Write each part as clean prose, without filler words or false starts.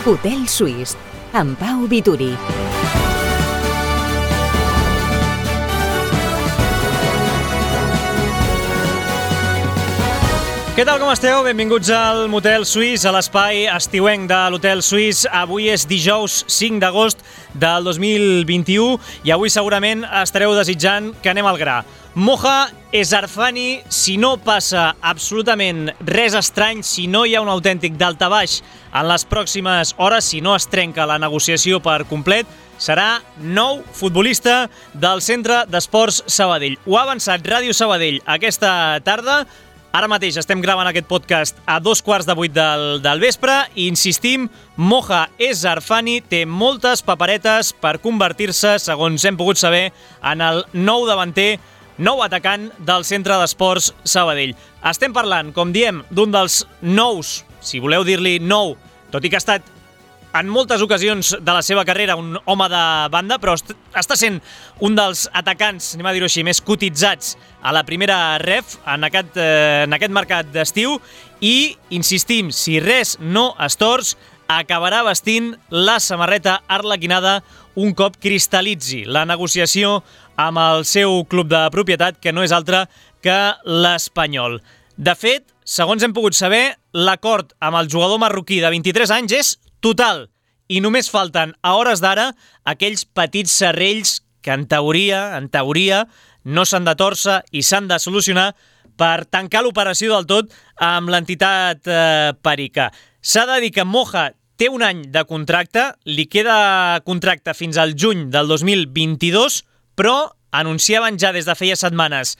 Hotel Suís, amb Pau Vituri. Què tal, com esteu? Benvinguts al Motel Suís, a l'espai estiuenc de l'Hotel Suís. Avui és dijous 5 d'agost del 2021 i avui segurament estareu desitjant que anem al gra. Moha Ezarfani, si no passa absolutament res estrany, si no hi ha un autèntic daltabaix en les pròximes hores, si no es trenca la negociació per complet, serà nou futbolista del Centre d'Esports Sabadell. Ho ha avançat Ràdio Sabadell aquesta tarda. Ara mateix estem gravant aquest podcast a 7:15 del vespre i insistim, Moha Ezarfani té moltes paperetes per convertir-se, segons hem pogut saber, en el nou davanter, nou atacant del Centre d'Esports Sabadell. Estem parlant, com diem, d'un dels nous, si voleu dir-li nou, tot i que ha estat en moltes ocasions de la seva carrera un home de banda, però està sent un dels atacants, anem a dir-ho així, més cotitzats a la primera ref en aquest mercat d'estiu i, insistim, si res no es tors, acabarà vestint la samarreta arlequinada un cop cristal·litzi la negociació amb el seu club de propietat, que no és altre que l'Espanyol. De fet, segons hem pogut saber, l'acord amb el jugador marroquí de 23 anys és total, i només falten a hores d'ara aquells petits serrells que en teoria no s'han de tòrcer i s'han de solucionar per tancar l'operació del tot amb l'entitat perica. S'ha de dir que Moha té un any de contracte, li queda contracte fins al juny del 2022, però anunciaven ja des de feia setmanes,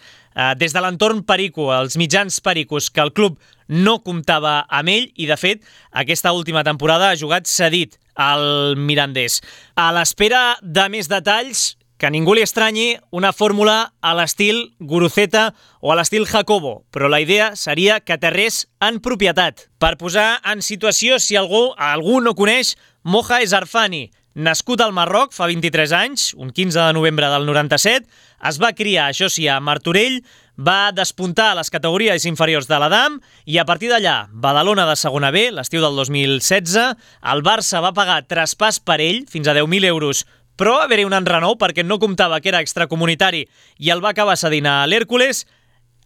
des de l'entorn perico, els mitjans pericos, que el club no comptava amb ell i, de fet, aquesta última temporada ha jugat cedit al Mirandés. A l'espera de més detalls, que a ningú li estranyi, una fórmula a l'estil Guruceta o a l'estil Jacobo, però la idea seria que aterrés en propietat. Per posar en situació, si algú no coneix, Moha Ezarfani, nascut al Marroc fa 23 anys, un 15 de novembre del 97, es va criar, això sí, a Martorell, va despuntar a les categories inferiors de l'Adam i a partir d'allà, Badalona de segona B, l'estiu del 2016, el Barça va pagar traspàs per ell, fins a 10.000 euros, però va haver-hi un enrenou perquè no comptava que era extracomunitari i el va acabar cedint a l'Hèrcules.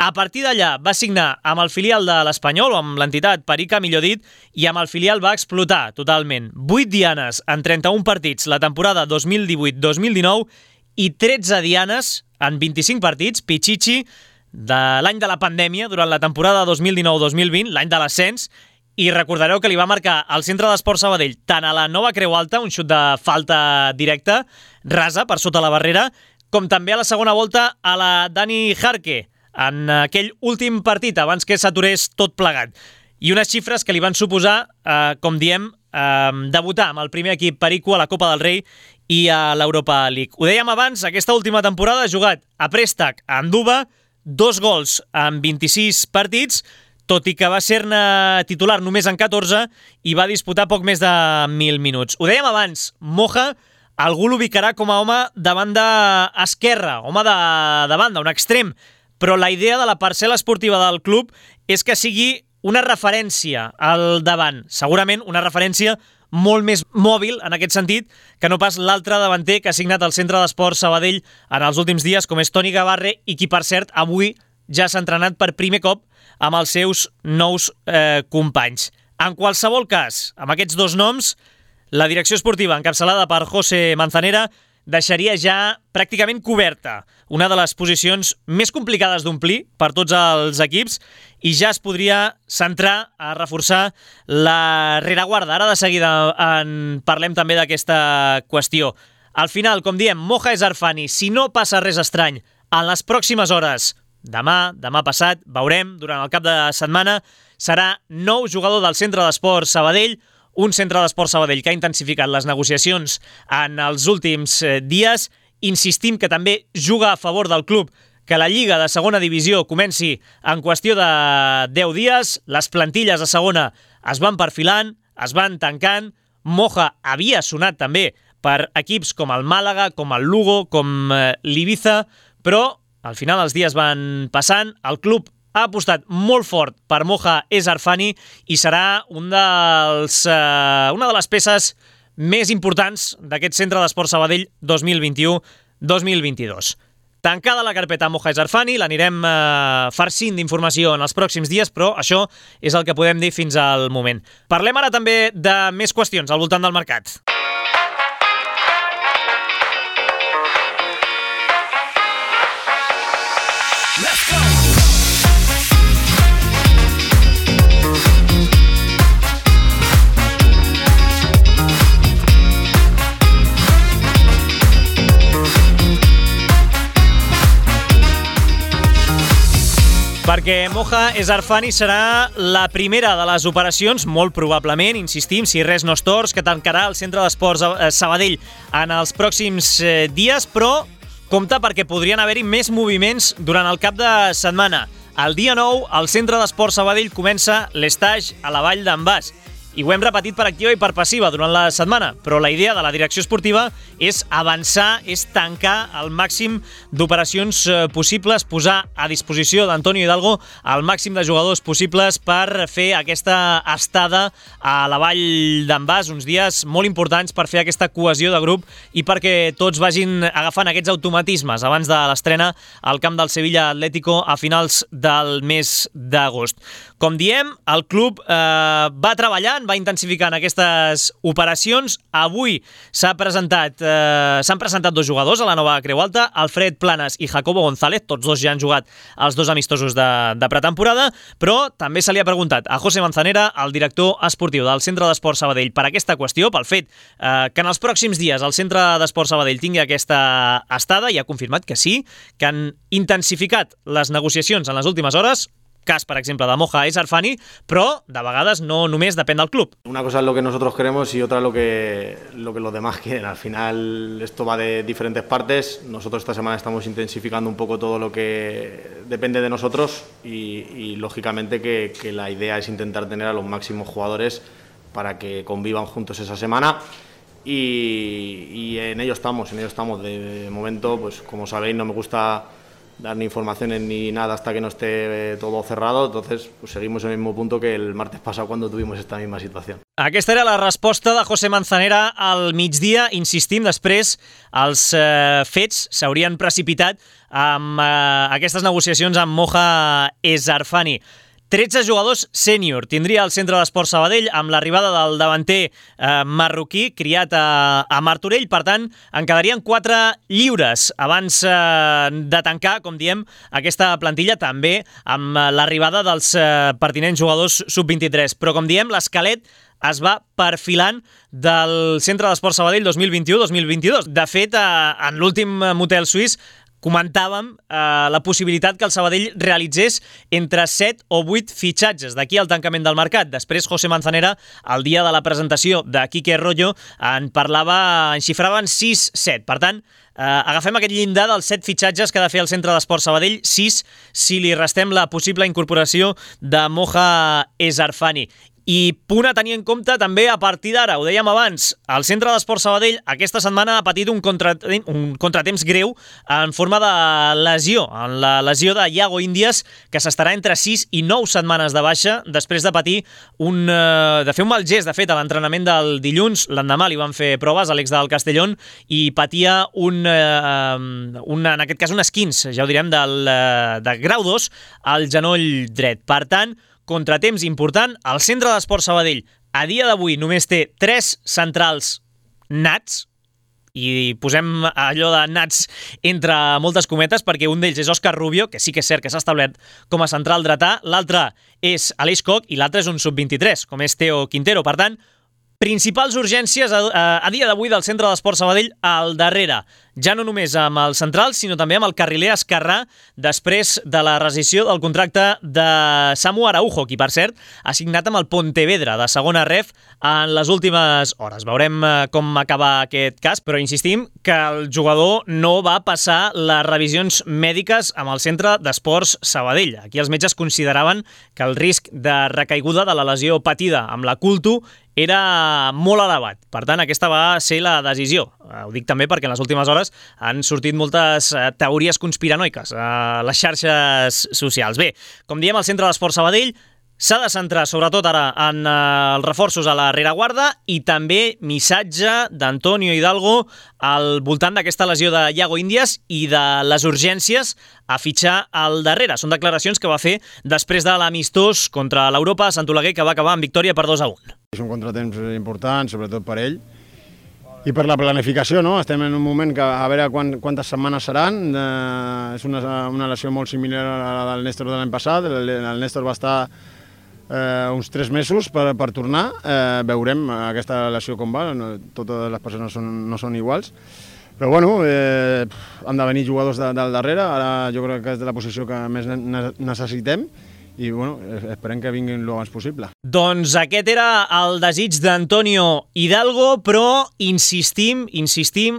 A partir d'allà va signar amb el filial de l'Espanyol, o amb l'entitat perica, millor dit, i amb el filial va explotar totalment. 8 dianes en 31 partits la temporada 2018-2019 i 13 dianes en 25 partits, Pichichi, de l'any de la pandèmia, durant la temporada 2019-2020, l'any de l'ascens, i recordareu que li va marcar al Centre d'Esports Sabadell tant a la Nova Creu Alta, un xut de falta directa, rasa, per sota la barrera, com també a la segona volta a la Dani Jarque, en aquell últim partit, abans que s'aturés tot plegat. I unes xifres que li van suposar, com diem, debutar amb el primer equip perico a la Copa del Rei i a l'Europa League. Ho dèiem abans, aquesta última temporada ha jugat a préstec a Anduba, 2 gols en 26 partits, tot i que va ser-ne titular només en 14 i va disputar poc més de 1.000 minuts. Ho dèiem abans, Moha, algú l'ubicarà com a home de banda esquerra, home de banda, un extrem, però la idea de la parcel·la esportiva del club és que sigui una referència al davant, segurament una referència molt més mòbil en aquest sentit que no pas l'altre davanter que ha signat el Centre d'Esports Sabadell en els últims dies, com és Toni Gavarre, i qui, per cert, avui ja s'ha entrenat per primer cop amb els seus nous companys. En qualsevol cas, amb aquests dos noms, la direcció esportiva encapçalada per José Manzanera deixaria ja pràcticament coberta una de les posicions més complicades d'omplir per tots els equips i ja es podria centrar a reforçar la rereguarda. Ara de seguida en parlem també d'aquesta qüestió. Al final, com diem, Moha Ezarfani, si no passa res estrany en les pròximes hores, demà passat, veurem, durant el cap de setmana, serà nou jugador del Centre d'Esports Sabadell, un Centre d'Esports Sabadell que ha intensificat les negociacions en els últims dies. Insistim que també juga a favor del club que la Lliga de segona divisió comenci en qüestió de 10 dies. Les plantilles de segona es van perfilant, es van tancant. Moha havia sonat també per equips com el Màlaga, com el Lugo, com l'Ibiza, però al final els dies van passant, el club ha apostat molt fort per Moja Esarfani i serà una de les peces més importants d'aquest centre d'esport Sabadell 2021-2022. Tancada la carpeta Moja Esarfani, l'anirem farcint d'informació en els pròxims dies, però això és el que podem dir fins al moment. Parlem ara també de més qüestions al voltant del mercat. Let's go! Perquè Moja Esarfani serà la primera de les operacions, molt probablement, insistim, si res no es tors, que tancarà el centre d'esports Sabadell en els pròxims dies, però compte perquè podrien haver-hi més moviments durant el cap de setmana. El dia 9, al centre d'esports Sabadell comença l'estage a la Vall d'en Bas. I ho hem repetit per activa i per passiva durant la setmana, però la idea de la direcció esportiva és avançar, és tancar el màxim d'operacions possibles, posar a disposició d'Antonio Hidalgo el màxim de jugadors possibles per fer aquesta estada a la Vall d'en Bas, uns dies molt importants per fer aquesta cohesió de grup i perquè tots vagin agafant aquests automatismes abans de l'estrena al camp del Sevilla Atlético a finals del mes d'agost. Com diem, el club va treballant, va intensificant aquestes operacions. Avui s'han presentat dos jugadors a la nova Creu Alta, Alfred Planas i Jacobo González, tots dos ja han jugat els dos amistosos de pretemporada, però també se li ha preguntat a José Manzanera, el director esportiu del Centre d'Esport Sabadell, per aquesta qüestió, pel fet que en els pròxims dies el Centre d'Esport Sabadell tingui aquesta estada, i ha confirmat que sí, que han intensificat les negociacions en les últimes hores, cas, per exemple, de Moja Esarfani, però de vegades no només depèn del club. Una cosa es lo que nosotros queremos y otra lo que los demás quieren. Al final esto va de diferentes partes. Nosotros esta semana estamos intensificando un poco todo lo que depende de nosotros y lógicamente que la idea es intentar tener a los máximos jugadores para que convivan juntos esa semana. Y en ello estamos. De momento, pues como sabéis, no me gusta dar ni informaciones ni nada hasta que no esté todo cerrado, entonces pues seguimos en el mismo punto que el martes pasado cuando tuvimos esta misma situació. Aquesta era la resposta de José Manzanera al migdia. Insistim, després els fets s'haurien precipitat amb aquestes negociacions amb Moja Esarfani. 13 jugadors sènior tindria el Centre d'Esport Sabadell amb l'arribada del davanter marroquí criat a Martorell. Per tant, en quedarien 4 lliures abans de tancar, com diem, aquesta plantilla, també amb l'arribada dels pertinents jugadors sub-23. Però, com diem, l'esquelet es va perfilant del Centre d'Esport Sabadell 2021-2022. De fet, en l'últim motel suís comentàvem la possibilitat que el Sabadell realitzés entre 7 o 8 fitxatges d'aquí al tancament del mercat. Després, José Manzanera, el dia de la presentació de Quique Rollo, en xifraven 6-7. Per tant, agafem aquest llindar dels 7 fitxatges que ha de fer el Centre d'Esport Sabadell, 6 si li restem la possible incorporació de Moja Esarfani. I punt a tenir en compte també a partir d'ara, ho dèiem abans, el Centre d'Esport Sabadell aquesta setmana ha patit un contratemps greu en forma de lesió, en la lesió de Iago Índies, que s'estarà entre 6 i 9 setmanes de baixa després de patir de fer un mal gest, de fet, a l'entrenament del dilluns. L'endemà li van fer proves a l'ex del Castellón i patia en aquest cas un esquinç, ja ho direm, de grau 2 al genoll dret. Per tant, contratemps important. El Centre d'Esport Sabadell a dia d'avui només té 3 centrals nats, i posem allò de nats entre moltes cometes perquè un d'ells és Òscar Rubio, que sí que és cert que s'ha establert com a central dretà, l'altre és Aleix Koch i l'altre és un sub-23, com és Teo Quintero. Per tant, principals urgències a dia d'avui del Centre d'Esport Sabadell al darrere. Ja no només amb el central, sinó també amb el carriler esquerrà, després de la rescissió del contracte de Samu Araujo, qui, per cert, ha signat amb el Pontevedra de segona ref en les últimes hores. Veurem com acaba aquest cas, però insistim que el jugador no va passar les revisions mèdiques amb el Centre d'Esports Sabadell. Aquí els metges consideraven que el risc de recaiguda de la lesió patida amb la Culto era molt elevat. Per tant, aquesta va ser la decisió. Ho dic també perquè en les últimes hores coses, han sortit moltes teories conspiranoiques a les xarxes socials. Bé, com diem, el Centre d'Esport Sabadell s'ha de centrar sobretot ara en els reforços a la rereguarda i també missatge d'Antonio Hidalgo al voltant d'aquesta lesió de Iago Índias i de les urgències a fitxar al darrere. Són declaracions que va fer després de l'amistós contra l'Europa a Sant Oleguer, que va acabar amb victòria per 2-1. És un contratemps important, sobretot per ell, i per la planificació, no? Estem en un moment que a veure quantes setmanes seran. És una lesió molt similar a la del Néstor de l'any passat. El Néstor va estar uns 3 mesos per tornar. Veurem aquesta lesió com va, totes les persones no són iguals. Però bueno, han de venir jugadors del darrere, ara jo crec que és de la posició que més necessitem, i bueno, esperem que vinguin el abans possible. Doncs aquest era el desig d'Antonio Hidalgo, però insistim,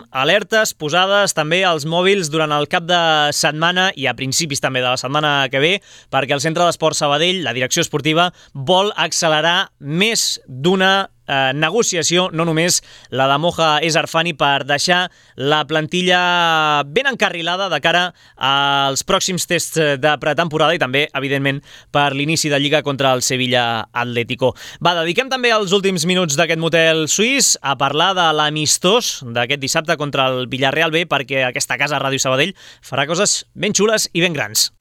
alertes posades també als mòbils durant el cap de setmana i a principis també de la setmana que ve, perquè el Centre d'Esport Sabadell, la direcció esportiva, vol accelerar més d'una negociació, no només la de Moja Esarfani, per deixar la plantilla ben encarrilada de cara als pròxims tests de pretemporada i també, evidentment, per l'inici de Lliga contra el Sevilla Atlético. Va, dediquem també els últims minuts d'aquest motel suís a parlar de l'amistós d'aquest dissabte contra el Villarreal B, perquè aquesta casa, Ràdio Sabadell, farà coses ben xules i ben grans.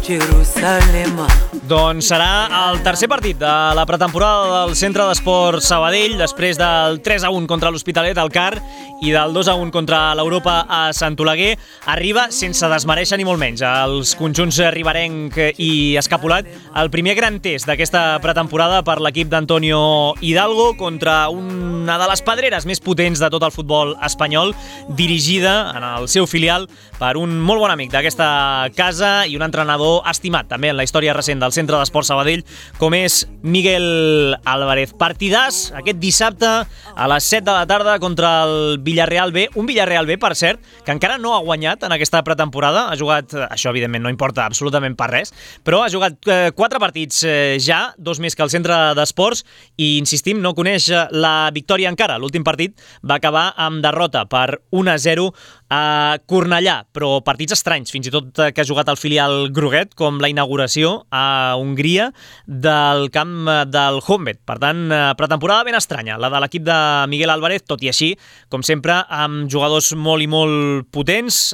Jerusalema. Doncs serà el tercer partit de la pretemporada del Centre d'Esport Sabadell, després del 3-1 contra l'Hospitalet al CAR i del 2-1 contra l'Europa a Sant Oleguer. Arriba sense desmereixer ni molt menys els conjunts riberenc i escapulat, el primer gran test d'aquesta pretemporada per l'equip d'Antonio Hidalgo contra una de les pedreres més potents de tot el futbol espanyol, dirigida en el seu filial per un molt bon amic d'aquesta casa i un entrenador estimat també en la història recent del Centre d'Esport Sabadell, com és Miguel Álvarez. Partidàs aquest dissabte a les 7 de la tarda contra el Villarreal B, un Villarreal B, per cert, que encara no ha guanyat en aquesta pretemporada, ha jugat, això evidentment no importa absolutament per res, però ha jugat 4 partits ja, 2 més que el Centre d'Esports, i insistim, no coneix la victòria encara. L'últim partit va acabar amb derrota per 1-0 a Cornellà, però partits estranys, fins i tot que ha jugat el filial groguet, com la inauguració a Hongria del camp del Honvéd. Per tant, pretemporada ben estranya, la de l'equip de Miguel Álvarez, tot i així, com sempre, amb jugadors molt i molt potents.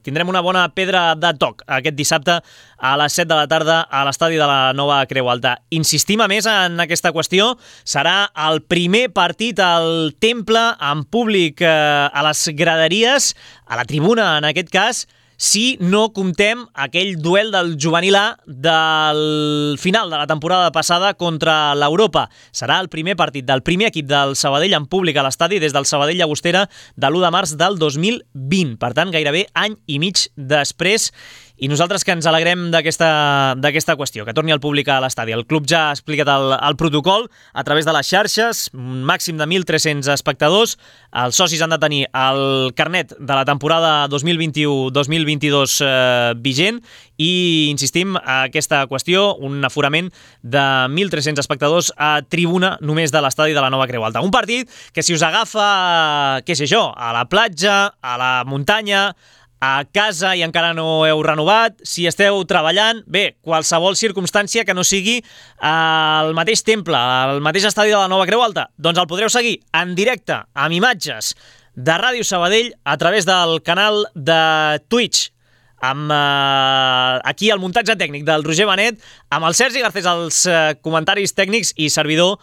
Tindrem una bona pedra de toc aquest dissabte a les 7 de la tarda a l'estadi de la Nova Creu Alta. Insistim a més en aquesta qüestió, serà el primer partit al Temple amb públic a les graderies, a la tribuna en aquest cas, si no comptem aquell duel del juvenil A del final de la temporada passada contra l'Europa. Serà el primer partit del primer equip del Sabadell en públic a l'estadi des del Sabadell Llagostera de l'1 de març del 2020. Per tant, gairebé any i mig després. I nosaltres que ens alegrem d'aquesta qüestió, que torni el públic a l'estadi. El club ja ha explicat el protocol a través de les xarxes, un màxim de 1.300 espectadors. Els socis han de tenir el carnet de la temporada 2021-2022 vigent i, insistim, aquesta qüestió, un aforament de 1.300 espectadors a tribuna només de l'estadi de la Nova Creu Alta. Un partit que, si us agafa, què sé jo, a la platja, a la muntanya, a casa i encara no heu renovat, si esteu treballant, bé, qualsevol circumstància que no sigui al mateix temple, al mateix estadi de la Nova Creu Alta, doncs el podreu seguir en directe, amb imatges de Ràdio Sabadell a través del canal de Twitch, amb aquí el muntatge tècnic del Roger Benet, amb el Sergi Garcés als comentaris tècnics i servidor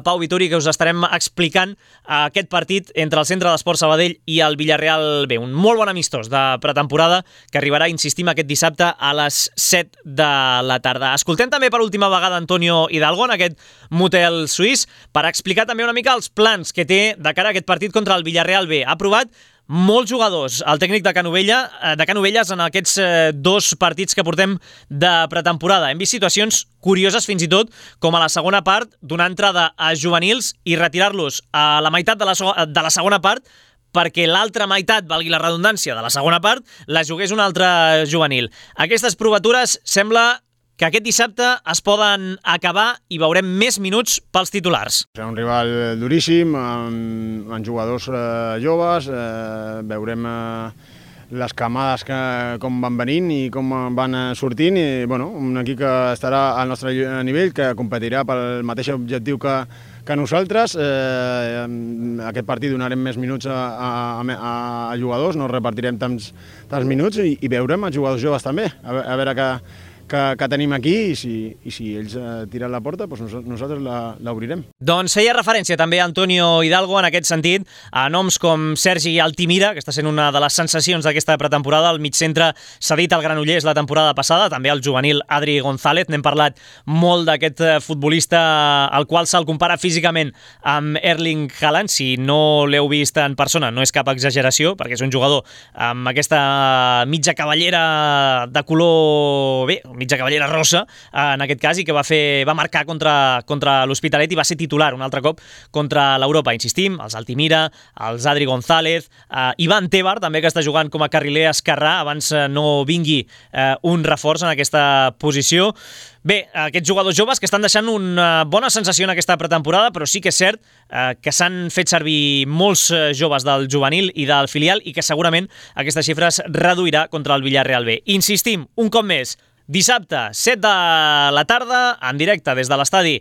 Pau Vituri, que us estarem explicant aquest partit entre el Centre d'Esport Sabadell i el Villarreal B. Un molt bon amistós de pretemporada que arribarà, insistim, aquest dissabte a les 7 de la tarda. Escoltem també per última vegada Antonio Hidalgo en aquest motel suís per explicar també una mica els plans que té de cara a aquest partit contra el Villarreal B. Ha provat molts jugadors, el tècnic de Canovelles en aquests 2 partits que portem de pretemporada. Hem vist situacions curioses fins i tot, com a la segona part, donar entrada a juvenils i retirar-los a la meitat de la segona part, perquè l'altra meitat, valgui la redundància, de la segona part, la jugués un altre juvenil. Aquestes provatures sembla que aquest dissabte es poden acabar i veurem més minuts pels titulars. Serà un rival duríssim, amb jugadors joves, veurem les camades com van venint i com van sortint, i un equip que estarà al nostre nivell, que competirà pel mateix objectiu que nosaltres. Aquest partit donarem més minuts a jugadors, no repartirem tants minuts, i veurem els jugadors joves també, a veure que tenim aquí, i si ells tiren la porta, doncs nosaltres l'obrirem. Doncs feia referència també a Antonio Hidalgo en aquest sentit, a noms com Sergi Altimira, que està sent una de les sensacions d'aquesta pretemporada. El migcentre cedit al Granollers la temporada passada, també el juvenil Adri González. N'hem parlat molt d'aquest futbolista al qual se'l compara físicament amb Erling Haaland. Si no l'heu vist en persona, no és cap exageració, perquè és un jugador amb aquesta mitja cavallera de color mitja cavallera rossa, en aquest cas, i que va marcar contra l'Hospitalet i va ser titular un altre cop contra l'Europa. Insistim, els Altimira, els Adri González, Ivan Tebar, també, que està jugant com a carriler esquerrà, abans no vingui un reforç en aquesta posició. Bé, aquests jugadors joves que estan deixant una bona sensació en aquesta pretemporada, però sí que és cert que s'han fet servir molts joves del juvenil i del filial, i que segurament aquesta xifra es reduirà contra el Villarreal B. Insistim, un cop més, dissabte, 7 de la tarda, en directe des de l'estadi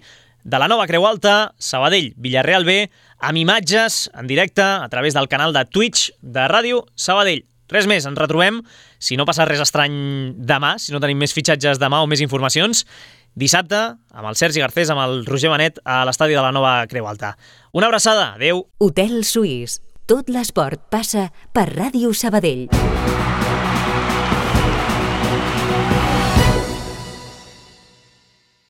de la Nova Creu Alta, Sabadell, Villarreal B, amb imatges en directe a través del canal de Twitch de Ràdio Sabadell. Res més, ens retrobem, si no passa res estrany demà, si no tenim més fitxatges demà o més informacions, dissabte, amb el Sergi Garcés, amb el Roger Benet, a l'estadi de la Nova Creu Alta. Una abraçada, adeu. Hotel Suís. Tot l'esport passa per Ràdio Sabadell.